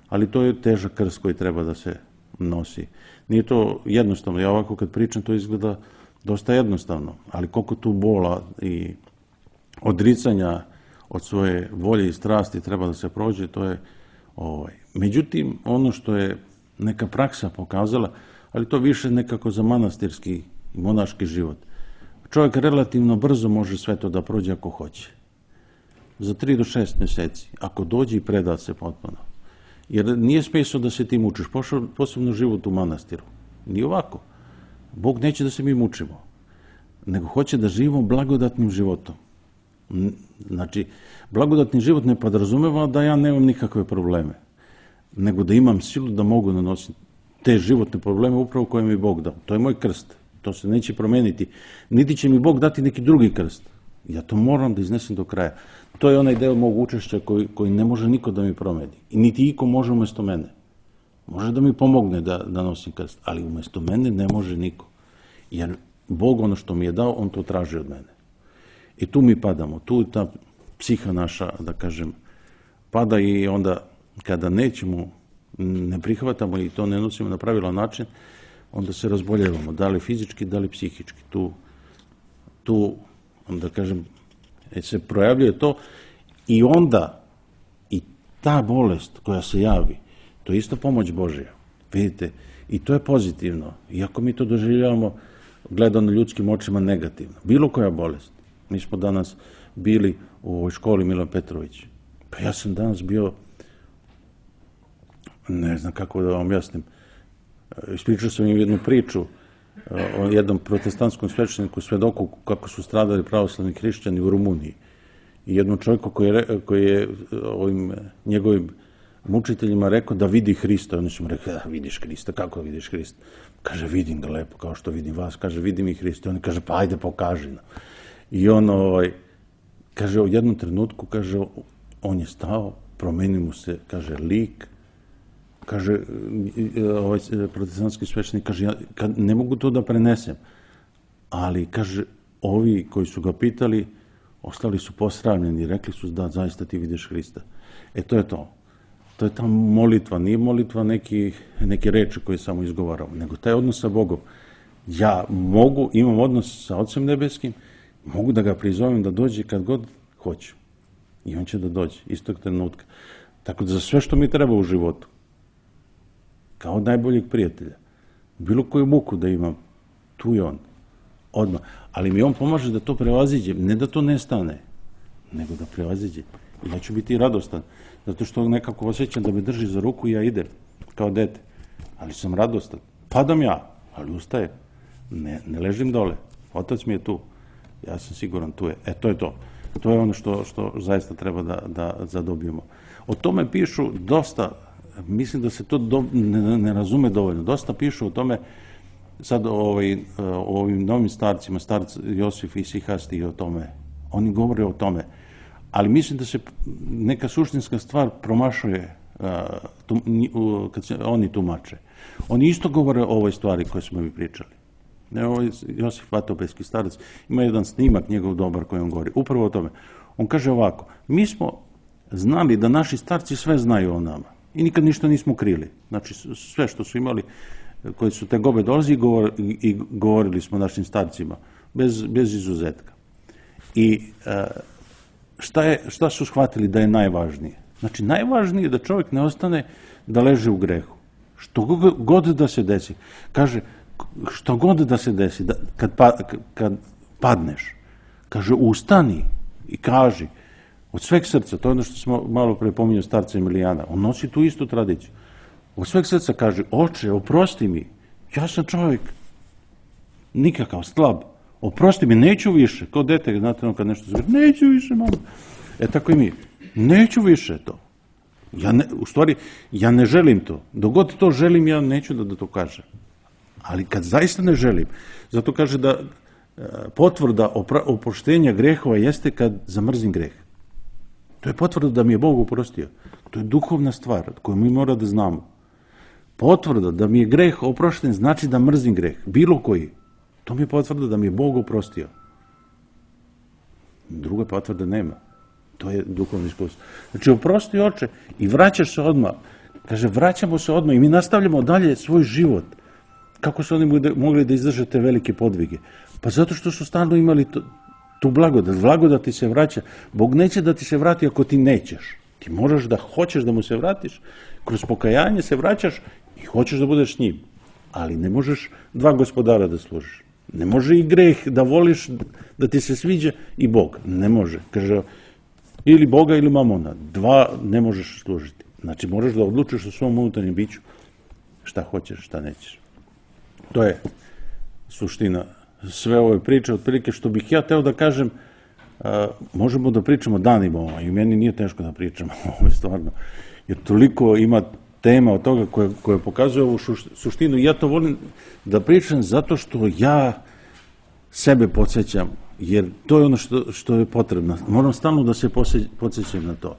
[SPEAKER 3] Ali to je težak krst koji treba da se nosi. Nije to jednostavno. Ja ovako kad pričam, to izgleda dosta jednostavno. Ali koliko tu bola i odricanja od svoje volje i strasti treba da se prođe, to je Međutim, ono što je neka praksa pokazala, ali to više nekako za manastirski i monaški život. Čovjek relativno brzo može sve to da prođe ako hoće. Za 3 do 6 meseci, ako dođe i preda se potpuno. Jer nije smisao da se ti mučiš, posebno život u manastiru. Nije ovako. Bog neće da se mi mučimo, nego hoće da živimo blagodatnim životom. Znači, blagodatni život ne podrazumeva da ja nemam nikakve probleme, nego da imam silu da mogu nanositi te životne probleme upravo koje mi Bog dao. To je moj krst. To se neće promeniti. Niti će mi Bog dati neki drugi krst. Ja to moram da iznesem do kraja. To je onaj deo mog učešća koji ne može niko da mi promeni. I niti iko može umesto mene. Može da mi pomogne da nosim krst, ali umesto mene ne može niko. Jer Bog ono što mi je dao, on to traži od mene. I tu mi padamo. Tu ta psiha naša, da kažem, pada i onda kada ne prihvatamo i to ne nosimo na pravilan način, onda se razboljevamo, da li fizički, da li psihički. Tu da kažem, se projavljuje to i onda i ta bolest koja se javi, to je isto pomoć Božja. Vidite, i to je pozitivno. Iako mi to doživljavamo gledano ljudskim očima negativno. Bilo koja bolest. Mi smo danas bili u ovoj školi Milan Petrović. Pa ja sam danas bio, ne znam kako da vam objasnim, ispričao sam im jednu priču o jednom protestantskom svešteniku, svedoku kako su stradali pravoslavni hrišćani u Rumuniji. I jednom čovjeku koji je ovim njegovim mučiteljima rekao da vidi Hrista. Oni su mu rekli, da vidiš Hrista, kako vidiš Hrista? Kaže, vidim ga lepo, kao što vidim vas. Kaže, vidim i Hrista. Oni kaže, pa ajde, pokaži nam. I on, kaže, u jednom trenutku, kaže, on je stao, promenio mu se, kaže, lik. Kaže, ovaj protestantski sveštenik, kaže, ja ne mogu to da prenesem. Ali, kaže, ovi koji su ga pitali, ostali su posramljeni i rekli su da zaista ti vidiš Hrista. To je to. To je ta molitva, nije molitva neke reči koje samo izgovaramo, nego taj odnos sa Bogom. Ja imam odnos sa Otcem Nebeskim, mogu da ga prizovem da dođe kad god hoću. I on će da dođe, istog trenutka. Tako da za sve što mi treba u životu, kao najboljeg prijatelja, bilo koju muku da imam, tu je on, odmah. Ali mi on pomaže da to prevaziđem, ne da to nestane, nego da prevaziđem. I ja ću biti radostan, zato što nekako osjećam da me drži za ruku i ja idem, kao dete. Ali sam radostan. Padam ja, ali ustajem. Ne ležim dole. Otac mi je tu. Ja sam siguran, tu je. To je to. To je ono što zaista treba da zadobijemo. O tome pišu dosta, mislim da se to ne razume dovoljno. Dosta pišu o tome, sad o ovim novim starcima, starc Josif i Sihasti i o tome. Oni govore o tome. Ali mislim da se neka suštinska stvar promašuje kad se oni tumače. Oni isto govore o ovoj stvari koje smo mi pričali. Josif Vatopejski starac ima jedan snimak njegov dobar koji on govori. Upravo o tome. On kaže ovako, mi smo znali da naši starci sve znaju o nama i nikad ništa nismo krili. Znači sve što su imali, koji su te gobe dolazi i govorili smo našim starcima, bez izuzetka. I šta su shvatili da je najvažnije? Znači, najvažnije je da čovjek ne ostane da leže u grehu. Što god da se desi. Kaže, što god da se desi, kad padneš, kaže, ustani i kaži od sveg srca, to je ono što smo malo pre pominjali starca Emilijana, on nosi tu istu tradiciju. Od sveg srca kaže, oče, oprosti mi, ja sam čovjek nikakav, slab, oprosti mi, neću više, kao dete, znate, kad nešto zove, neću više, mama. Tako i mi, neću više to. U stvari, ja ne želim to. Dok god to želim, ja neću da to kažem. Ali kad zaista ne želim, zato kaže da potvrda oproštenja grehova jeste kad zamrzim greh. To je potvrda da mi je Bog oprostio. To je duhovna stvar koju mi mora da znamo. Potvrda da mi je greh oprošten znači da mrzim greh, bilo koji. To mi je potvrda da mi je Bog oprostio. Druga potvrda nema. To je duhovno iskustvo. Znači, oprosti oče i vraćaš se odmah. Kaže, vraćamo se odmah i mi nastavljamo dalje svoj život. Kako su oni mogli da izdrže te velike podvige? Pa zato što su stalno imali tu blagodat. Blagodat ti se vraća. Bog neće da ti se vrati ako ti nećeš. Ti moraš da hoćeš da mu se vratiš. Kroz pokajanje se vraćaš i hoćeš da budeš s njim. Ali ne možeš dva gospodara da služiš. Ne može i greh da voliš, da ti se sviđa i Bog. Ne može. Kaže, ili Boga ili mamona. Dva ne možeš služiti. Znači, moraš da odlučiš u svom unutarnjem biću šta hoćeš, šta nećeš. To je suština sve ove priče, otprilike što bih ja teo da kažem, možemo da pričamo danima, i meni nije teško da pričamo, ovo je stvarno, jer toliko ima tema od toga koja pokazuje ovu suštinu i ja to volim da pričam zato što ja sebe podsjećam, jer to je ono što je potrebno. Moram stalno da se podsjećam na to,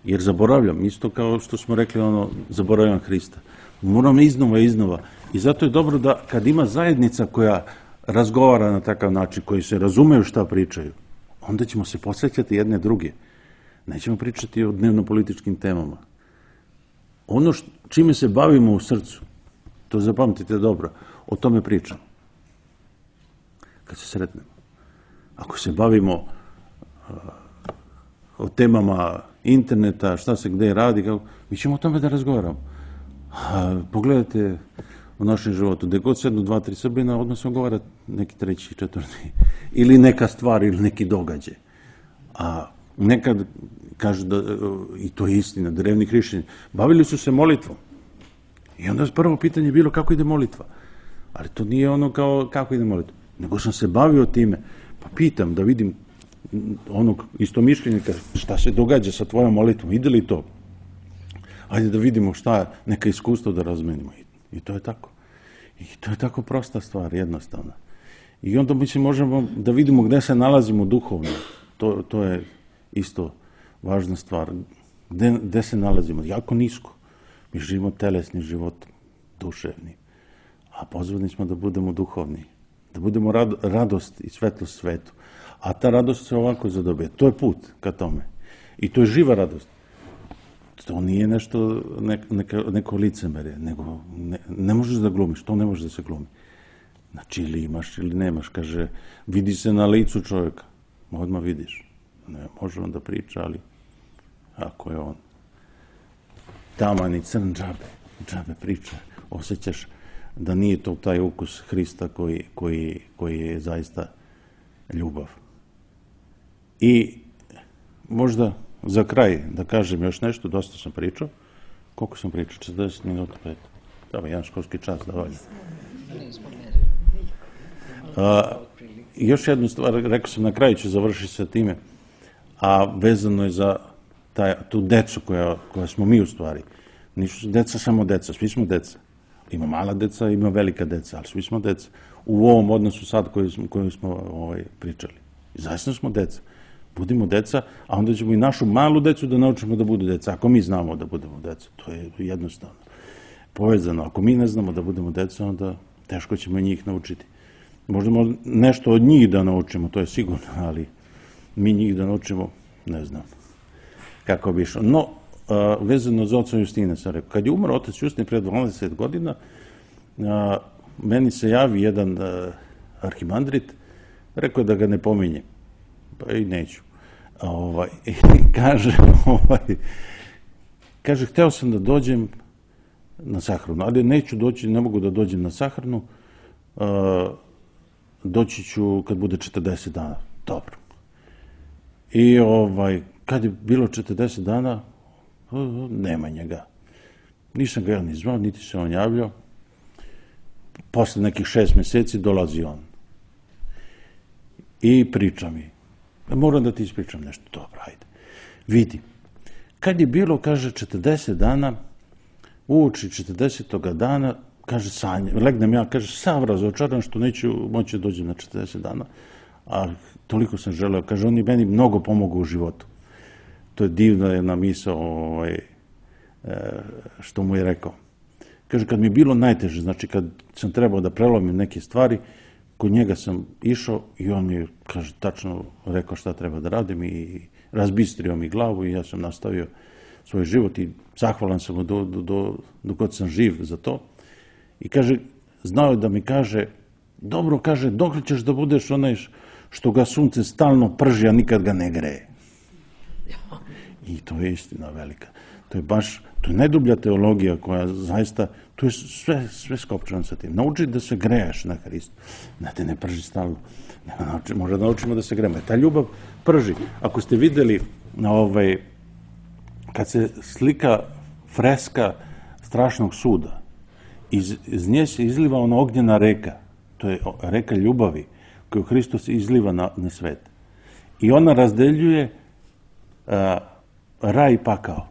[SPEAKER 3] jer zaboravljam, isto kao što smo rekli, zaboravljam Hrista. Moram iznova. I zato je dobro da kad ima zajednica koja razgovara na takav način, koji se razumeju šta pričaju, onda ćemo se podsjećati jedne druge. Nećemo pričati o dnevno-političkim temama. Ono čime se bavimo u srcu, to zapamtite dobro, o tome pričam. Kad se sretnemo. Ako se bavimo o temama interneta, šta se gde radi, mi ćemo o tome da razgovaramo. Pogledajte u našem životu. Gde god sednu 2-3 Srbina, odmah se ogovara neki treći, četvrti. Ili neka stvar, ili neki događaj. A nekad, kaže da, i to je istina, drevni hrišćani, bavili su se molitvom. I onda prvo pitanje je bilo kako ide molitva. Ali to nije ono kao kako ide molitva. Nego sam se bavio time, pa pitam da vidim onog istomišljenika šta se događa sa tvojom molitvom, ide li to? Ajde da vidimo šta, neka iskustva da razmenimo. I to je tako. I to je tako prosta stvar, jednostavna. I onda možemo da vidimo gde se nalazimo duhovno. To je isto važna stvar. Gde se nalazimo? Jako nisko. Mi živimo telesni život, duševni. A pozvani smo da budemo duhovni. Da budemo radost i svetlost svetu. A ta radost se ovako zadobije. To je put ka tome. I to je živa radost. To nije nešto, neko licemerje, nego ne možeš da glumiš, to ne može da se glumi. Znači, ili imaš ili nemaš, kaže, vidi se na licu čovjeka, odmah vidiš. Ne može on da priča, ali ako je on taman i crn, džabe priča, osjećaš da nije to taj ukus Hrista koji je zaista ljubav. I možda za kraj da kažem još nešto, dosta sam pričao. Koliko sam pričao? 40 minuta, 5. Dobro, jedan školski čas da valja. Još jednu stvar, rekao sam na kraju ću završiti sa time, a vezano je za tu decu koja smo mi u stvari. Nisu deca samo deca, svi smo deca. Ima mala deca, ima velika deca, ali svi smo deca. U ovom odnosu sad koju smo pričali. Zaista smo deca. Budimo deca, a onda ćemo i našu malu decu da naučimo da budu deca. Ako mi znamo da budemo deca, to je jednostavno povezano. Ako mi ne znamo da budemo deca, onda teško ćemo njih naučiti. Možemo nešto od njih da naučimo, to je sigurno, ali mi njih da naučimo, ne znam kako bi išlo. No, vezano za oca Justina sam rekao, kad je umro otac Justin pred 20 godina, meni se javi jedan arhimandrit, rekao je da ga ne pominje. Pa i neću. Kaže, hteo sam da dođem na sahranu, ali neću doći, ne mogu da dođem na sahranu, doći ću kad bude 40 dana. Dobro. I kad je bilo 40 dana, nema njega. Nisam ga ja ni zvao, niti se on javljao. Posle nekih 6 meseci dolazi on. I priča mi. Moram da ti ispričam nešto. Dobro, ajde. Vidi. Kad je bilo, kaže, 40 dana, uoči 40. dana, kaže, legnem ja, kaže, sav razočaran što neću moći da dođem na 40 dana, a toliko sam želeo. Kaže, on je meni mnogo pomogao u životu. To je divna jedna misao što mu je rekao. Kaže, kad mi je bilo najteže, znači kad sam trebao da prelomim neke stvari, kod njega sam išao i on mi, kaže, tačno rekao šta treba da radim i razbistrio mi glavu i ja sam nastavio svoj život i zahvalan sam mu dok god sam živ za to. I kaže, znao je da mi kaže, dobro, kaže, dok ćeš da budeš onaj što ga sunce stalno prži, a nikad ga ne greje. I to je istina velika. To je baš, to je najdublja teologija koja zaista, to je sve skopčano sa tim. Nauči da se greješ na Hristu, da te ne prži stalno. Možda naučimo da se grejemo. Ta ljubav prži. Ako ste videli kad se slika freska strašnog suda, iz nje se izliva ona ognjena reka, to je reka ljubavi koju Hristos izliva na svet. I ona razdeljuje raj i pakao.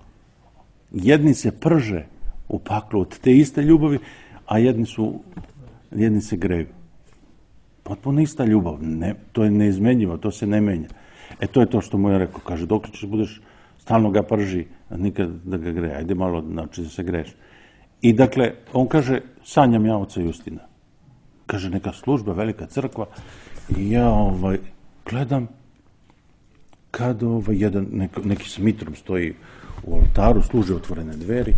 [SPEAKER 3] Jedni se prže u paklu od te iste ljubavi, a jedni se greju. Potpuno ista ljubav. To je neizmenjivo, to se ne menja. To je to što mu je rekao. Kaže, dok ćeš budeš, stalno ga prži, a nikad da ga greje. Ajde malo, znači da se greješ. I dakle, on kaže, sanjam ja oca Justina. Kaže, neka služba, velika crkva. I ja gledam kad neki s mitrom stoji u oltaru, služe otvorene dveri.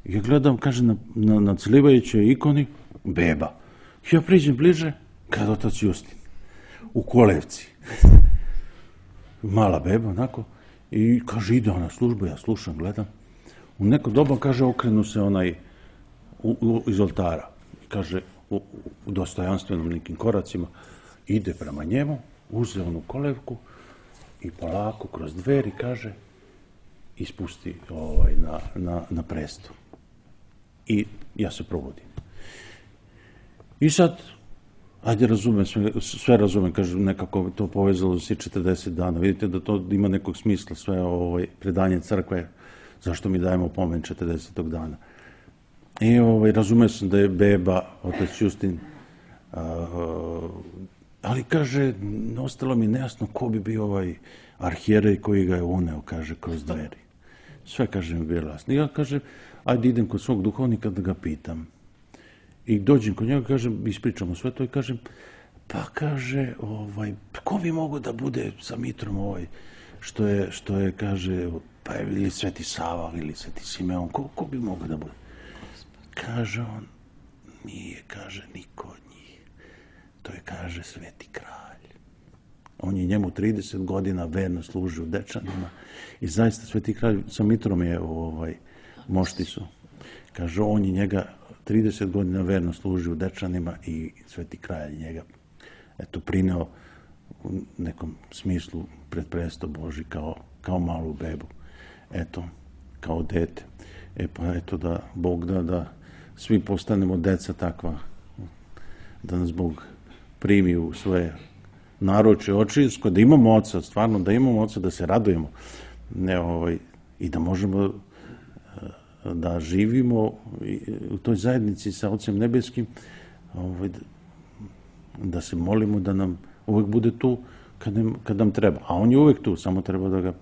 [SPEAKER 3] Ja gledam, kaže, na celivajućoj ikoni beba. Ja priđem bliže, kad otac Justin. U kolevci. Mala beba, onako. I kaže, ide ona služba, ja slušam, gledam. U neko doba, kaže, okrenu se iz oltara. kaže, u dostojanstvenom nekim koracima, ide prema njemu, uze onu kolevku i polako kroz dveri, kaže, ispusti na presto. I ja se probudim. I sad, ajde razumem, sve razumem, kaže, nekako to povezalo se 40 dana. Vidite da to ima nekog smisla, sve predanje crkve, zašto mi dajemo pomen 40. dana. I razumeo sam da je beba, otac Justin, ali kaže, ostalo mi nejasno ko bi bio arhijerej koji ga je uneo, kaže, kroz dveri. Sve, kaže, mi bilo jasno. I ja, kaže, ajde idem kod svog duhovnika da ga pitam. I dođem kod njega, kažem, ispričamo sve to i kažem, pa kaže, ko bi mogo da bude sa Mitrom što je, kaže, pa je ili Sveti Sava ili Sveti Simeon, ko bi mogo da bude? Kaže on, nije, kaže, niko od njih. To je, kaže, Sveti Kralj. On je njemu 30 godina verno služio u Dečanima i zaista Sveti Kralj sa Mitrom je moštisu. Kaže, on je njega 30 godina verno služio u Dečanima i Sveti Kralj njega prineo u nekom smislu pred presto Boži kao malu bebu. Eto, kao dete. Pa eto da Bog da svi postanemo deca takva, da nas Bog primi u svoje naručje očinsko, da imamo oca, stvarno da imamo oca, da se radujemo i da možemo da živimo u toj zajednici sa Ocem Nebeskim, da se molimo da nam uvek bude tu kad nam treba. A on je uvek tu, samo treba da ga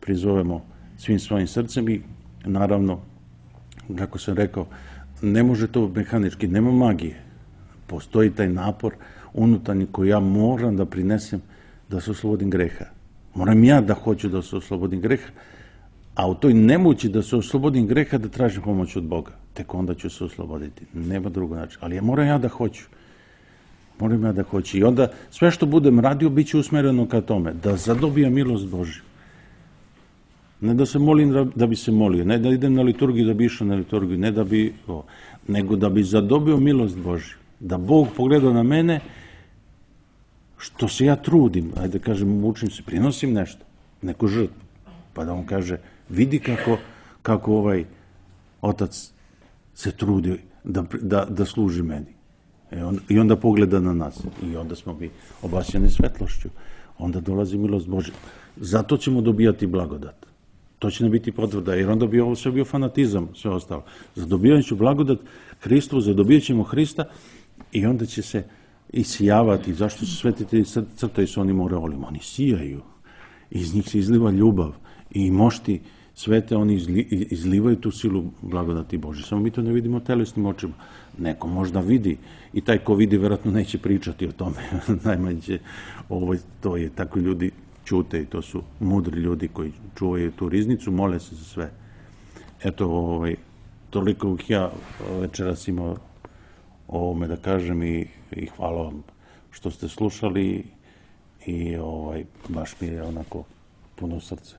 [SPEAKER 3] prizovemo svim svojim srcem i naravno, kako sam rekao, ne može to mehanički, nema magije. Postoji taj napor unutarnji koji ja moram da prinesem da se oslobodim greha. Moram ja da hoću da se oslobodim greha, a u toj nemoći da se oslobodim greha da tražim pomoć od Boga. Tek onda ću se osloboditi. Nema drugo načina. Ali moram ja da hoću. Moram ja da hoću. I onda sve što budem radio bit će usmereno ka tome. Da zadobijam milost Božju. Ne da se molim da bi se molio. Ne da idem na liturgiju da bi išao na liturgiju. Ne da bi... nego da bi zadobio milost Božju. Da Bog pogleda na mene što se ja trudim. Ajde kažem, mučim se, prinosim nešto. Neku žrtvu. Pa da on kaže, vidi kako otac se trudi da služi meni. I onda pogleda na nas. I onda smo mi obasjani svetlošću. Onda dolazi milost Božja. Zato ćemo dobijati blagodat. To će nam biti potvrda, jer onda bi ovo sve bio fanatizam, sve ostalo. Zadobijat ću blagodat Hristu, zadobijat ćemo Hrista i onda će se isijavati. Zašto su svetitelji crtaju sa onim aureolima? Oni sijaju. Iz njih se izliva ljubav. I mošti svete, oni izlivaju tu silu blagodati Božje. Samo mi to ne vidimo telesnim očima. Neko možda vidi i taj ko vidi verovatno neće pričati o tome. Najmanje će, to je tako ljudi ćute i to su mudri ljudi koji čuvaju tu riznicu, mole se za sve. Eto, toliko bih ja večeras imao o ovome da kažem i hvala vam što ste slušali i baš mi je onako puno srce.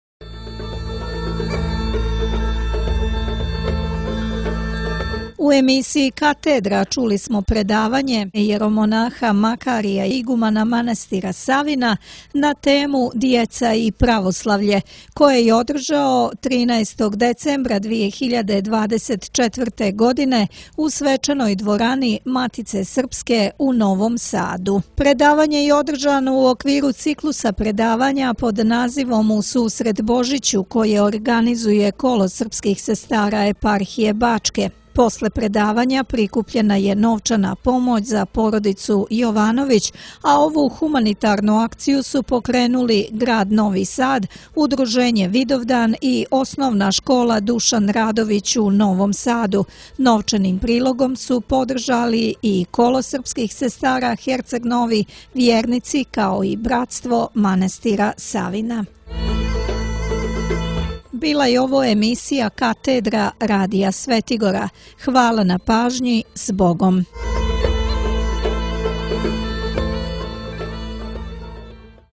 [SPEAKER 2] U emisiji Katedra čuli smo predavanje jeromonaha Makarija igumana manastira Savina na temu Djeca i pravoslavlje, koje je održao 13. decembra 2024. godine u svečanoj dvorani Matice Srpske u Novom Sadu. Predavanje je održano u okviru ciklusa predavanja pod nazivom U susret Božiću, koje organizuje Kolo srpskih sestara eparhije Bačke. Posle predavanja prikupljena je novčana pomoć za porodicu Jovanović, a ovu humanitarnu akciju su pokrenuli grad Novi Sad, Udruženje Vidovdan i Osnovna škola Dušan Radović u Novom Sadu. Novčanim prilogom su podržali i Kolo srpskih sestara Herceg Novi, vjernici kao i bratstvo manastira Savina. Bila je ovo emisija Katedra Radija Svetigora. Hvala na pažnji, s Bogom.